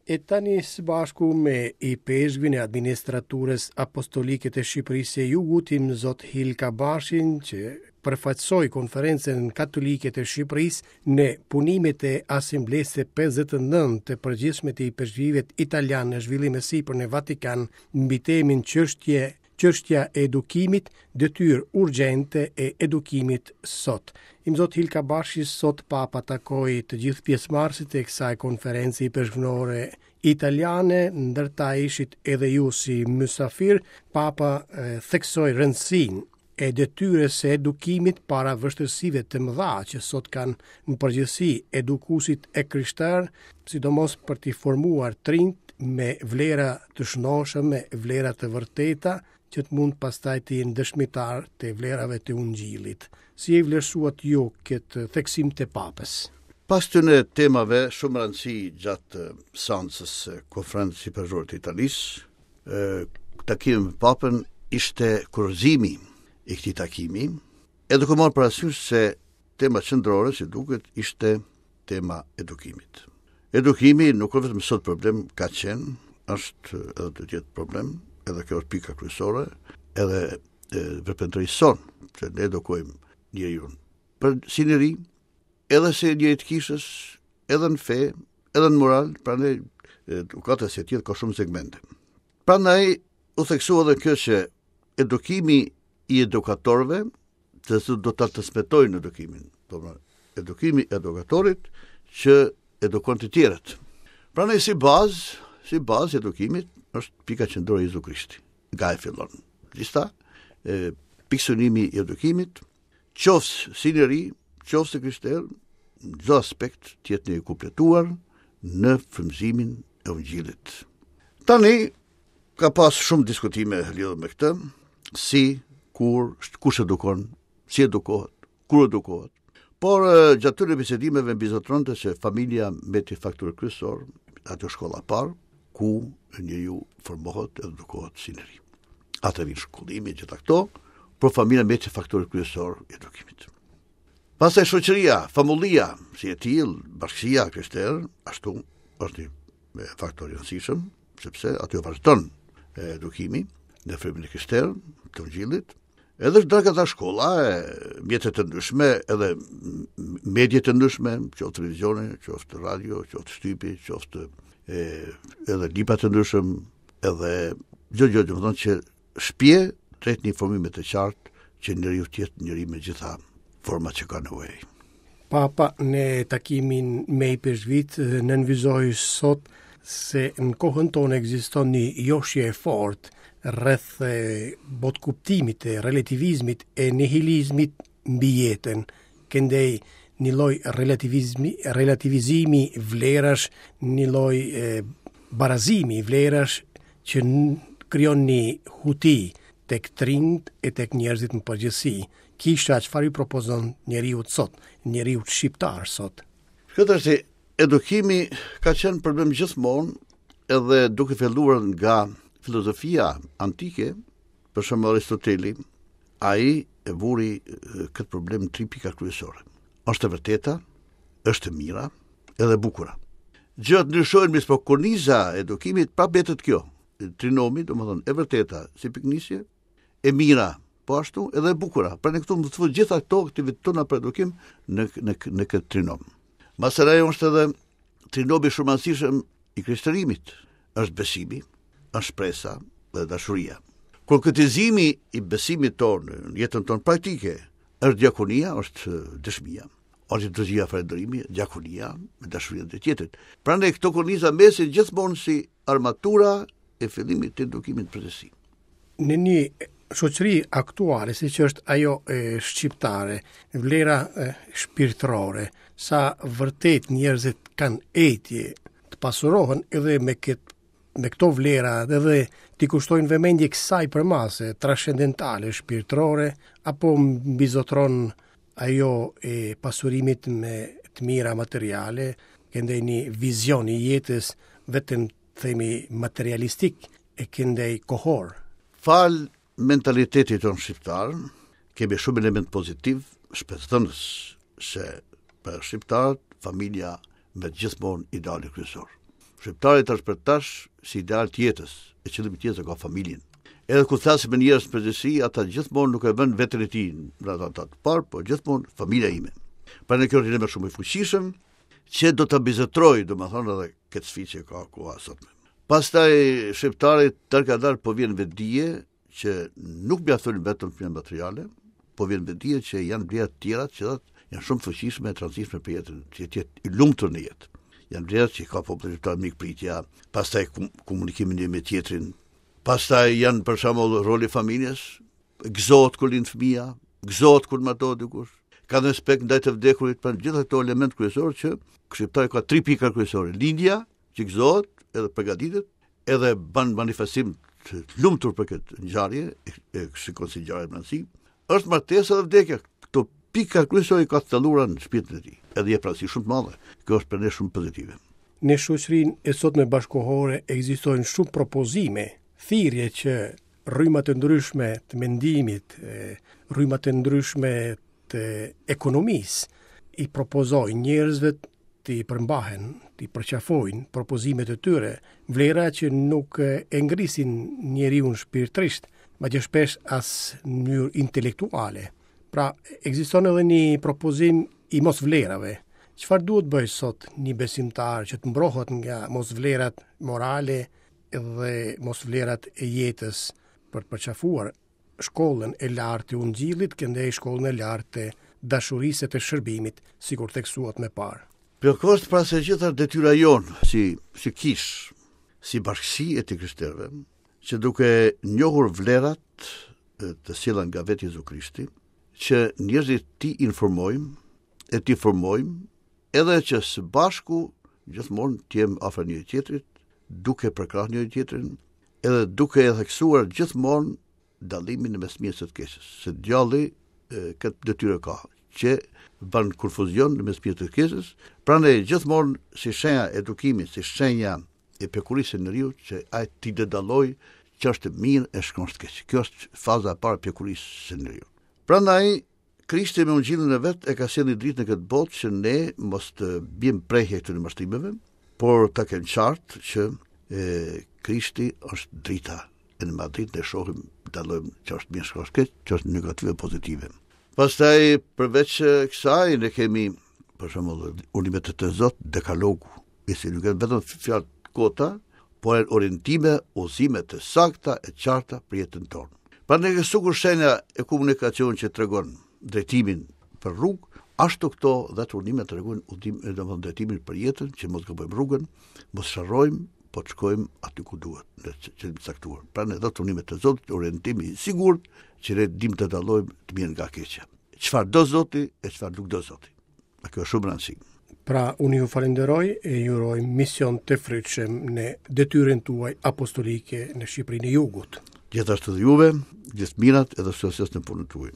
E tani së bashku me ipeshkvin e administraturës apostolike të Shqipërisë së Jugut, Imzot Hil Kabashin, që përfaqësoi Konferencën Katolike të Shqipërisë në punimet e Asamblesë së 59 të përgjithshme të ipeshkvijve italianë në zhvillim e sipër në Vatikan mbi temën çështje Çështja e edukimit, detyrë urgjente e edukimit sot. Imzot Hil Kabashi sot Papa takoi të gjithë pjesëmarrësit e kësaj konference ipeshkvnore italiane, ndër ta ishit edhe ju si mysafir, Papa e, theksoi rëndësinë e detyrës së edukimit para vështirësive të mëdha që sot kanë në përgjithësi edukuesit e krishterë, sidomos për t'i formuar të rinjtë me vlera të shëndosha, me vlera të vërteta, që të mund pastaj të jenë dëshmitarë të vlerave të Ungjillit. Si e vlerësuat ju këtë theksim të Papës? Pas këtyre temave shumë rëndësi gjatë seancës së Konferencës Ipeshkvore të Italisë, takimi me Papën ishte kurorëzimi i këtij takimi, e duke marrë parasysh se tema qendrore, si duket, ishte tema edukimit. Edukimi nuk është vetëm sot problem, ka qenë, është edhe do të jetë problem, edhe kjo është pika kryesore, edhe veprimtarisë sonë, që ne edukojmë njeriun. Për si njeri, edhe si njeri të kishës, edhe në fe, edhe në moral, prandaj edukata si e tillë ka shumë segmente. Prandaj u theksua edhe kjo që edukimi i edukatorëve, të cilët do ta transmetojnë edukimin, do edukimi i edukatorit që edukon të tjerët. Prandaj si bazë, si bazë edukimit është pika qendrore Jezu Krishti. Nga e fillon. Lista e pikësynimi i edukimit qoftë si njeri, qoftë si krishterë, në çdo aspekt të jetë i kompletuar në frymëzimin e Ungjillit. Tani ka pas shumë diskutime lidhur me këtë, si, kur, kush edukon, si edukohet, kur edukohet. Por gjatë këtyre bisedimeve mbizotëronte se familja mbeti faktor kryesor, aty shkolla e parë, ku njeriu formohet edhe edukohet si njeri. Atë vjen shkollimi, gjitha këto, por familja mbetet faktori kryesor i edukimit. Pastaj shoqëria, famullia, si e tillë, bashkësia e krishterë, ashtu është një faktor i rëndësishëm, sepse aty vazhdon edukimi në frymën e krishterë, të ungjillit, Edhe është ta shkolla, e, mjete të ndryshme, edhe medie të ndryshme, qoftë televizione, qoftë radio, qoftë shtypi, qoftë e, edhe libra të ndryshëm, edhe çdo gjë, domethënë që shpie drejt një formimi të qartë që njeriu të jetë njeri me gjitha format që ka nevojë. Papa në takimin me ipeshkvijtë nënvizoi sot se në kohën tonë ekziston një joshje e fortë rreth botëkuptimit e relativizmit e nihilizmit mbi jetën. Këndej një lloj relativizmi, relativizimi vlerash, një lloj barazimi vlerash që krijon një huti tek të rinjtë e tek njerëzit në përgjithësi. Kisha çfarë i propozon njeriut sot, njeriut shqiptar sot? Këtë është edukimi ka qenë problem gjithmonë edhe duke filluar nga filozofia antike, për shembull Aristoteli, ai e vuri këtë problem në tri pika kryesore. Është e vërteta, është e mira, edhe e bukura. Gjërat ndryshojnë, mirëpo korniza e edukimit prapë mbetet kjo. Trinomi, domethënë e vërteta si pikënisje, e mira, po ashtu edhe e bukura. Pra ne këtu mund të fusim gjitha këto aktivitetet tona për edukim në në në këtë trinom. Masandej është edhe trinomi shumë i rëndësishëm i krishterimit, është besimi, është shpresa dhe dashuria. Konkretizimi i besimit tonë në jetën tonë praktike është diakonia, është dëshmia, është liturgjia falënderimi, diakonia me dashurinë e tjetrit. Prandaj këto korniza mbesin gjithmonë si armatura e fillimit të edukimit në përgjithësi. Në një shoqëri aktuale, siç është ajo e shqiptare, vlera e, shpirtërore, sa vërtet njerëzit kanë etje të pasurohen edhe me këtë me këto vlera edhe t'i kushtojnë vëmendje kësaj përmase transcendentale, shpirtërore, apo mbizotron ajo e pasurimit me të mira materiale, këndej një vizion i jetës vetëm themi materialistik e këndej kohor. Falë mentalitetit tonë shqiptar, kemi shumë element pozitiv, shpresëdhënës se për shqiptarët familja mbetet gjithmonë ideali kryesor. Shqiptari tash për tash si ideal të jetës, e qëllimit të jetës e ka familjen. Edhe kur flasim me njerëz në përgjithësi, ata gjithmonë nuk e vënë veten e tij në atë të parë, por gjithmonë familja ime. Prandaj kjo është një element shumë i fuqishëm që do ta mbizotërojë, domethënë edhe këtë sfidë që ka koha sotme. Pastaj shqiptarit dalëngadalë po vjen vetëdije që nuk mjaftojnë vetëm të mirat materiale, po vjen vetëdije që janë vlera të tjera që janë shumë të fuqishme e të rëndësishme për jetën, që të jetë i lumtur në jetë. Janë vlera që ka populli shqiptar mikpritja, pastaj komunikimi një me tjetrin, pastaj janë për shembull roli i familjes, gëzohet kur lind fëmija, gëzohet kur martohet dikush, ka respekt ndaj të vdekurit, pra gjitha këto elemente kryesorë që shqiptari ka tri pika kryesore, lindja, që gëzohet edhe përgatitet, edhe bën manifestim të lumtur për këtë ngjarje, e shikon si ngjarje me rëndësi, është martesa dhe vdekja. Këto pika kryesore ka të thelluara në shpirtin e tij. Edhe jep rëndësi shumë të madhe. Kjo është për ne shumë pozitive. Në shoqërinë e sotme bashkëkohore ekzistojnë shumë propozime, thirrje që rrymat e ndryshme të mendimit, rrymat e ndryshme të ekonomisë i propozojnë njerëzve t'i përmbahen, t'i përqafojnë propozimet e tyre, vlera që nuk e ngrisin njeriun shpirtërisht, madje shpesh as në mënyrë intelektuale. Pra, ekziston edhe një propozim i mosvlerave. Çfarë duhet bëjë sot një besimtar që të mbrohet nga mosvlerat morale dhe mosvlerat e jetës për të përqafuar shkollën e lartë të Ungjillit, këndej shkollën e lartë të dashurisë e të shërbimit, sikur theksuat më parë. Po kjo është para së gjithash detyra jonë, si, si kishë, si bashkësi e të krishterëve, që duke njohur vlerat të sjella nga vetë Jezu Krishti, që njerëzit t'i informojmë e t'i formojmë, edhe që së bashku gjithmonë të jem afër njëri tjetrit, duke përkrah njëri tjetrin, edhe duke e theksuar gjithmonë dallimin në mes mirës e të keqes, se djalli këtë detyrë ka, që bën konfuzion në mes mirës e të keqes, prandaj gjithmonë si shenja e edukimit, si shenja e pjekurisë së njeriut që ai t'i dallojë ç'është mirë e ç'është keq. Kjo është faza e parë e pjekurisë së njeriut. Prandaj Krishti me ungjillin e vet e ka sjellë një dritë në këtë botë që ne mos të biem pre e këtyre mashtrimeve, por ta kemi qartë që e, Krishti është drita. E në atë dritë ne shohim, dallojmë ç'është mirë, ç'është keq, ç'është negative, pozitive. Pastaj përveç kësaj ne kemi për shembull urdhnimet e Zotit, dekalogu, i cili nuk janë vetëm fjalë të kota, por janë orientime, udhëzime të sakta e qarta për jetën tonë. Prandaj sikur shenja e komunikacionit që tregon drejtimin për rrugë, ashtu këto dhetë urdhënime tregojnë udhëzim, domethënë drejtimin për jetën, që mos gabojmë rrugën, mos sharrojmë, po të shkojmë aty ku duhet, në qëllim të caktuar. Prandaj dhetë urdhënimet e Zotit, orientimi i sigurt, që ne dimë të dallojmë të mirën nga e keqja. Çfarë do Zoti e çfarë nuk do Zoti. A kjo është shumë rëndësi. Pra, unë ju falenderoj e ju uroj mision të frytshëm në detyrën tuaj apostolike në Shqipërinë e Jugut. Gjithashtu dhe juve, gjithë mirat edhe sukses në punën tuaj.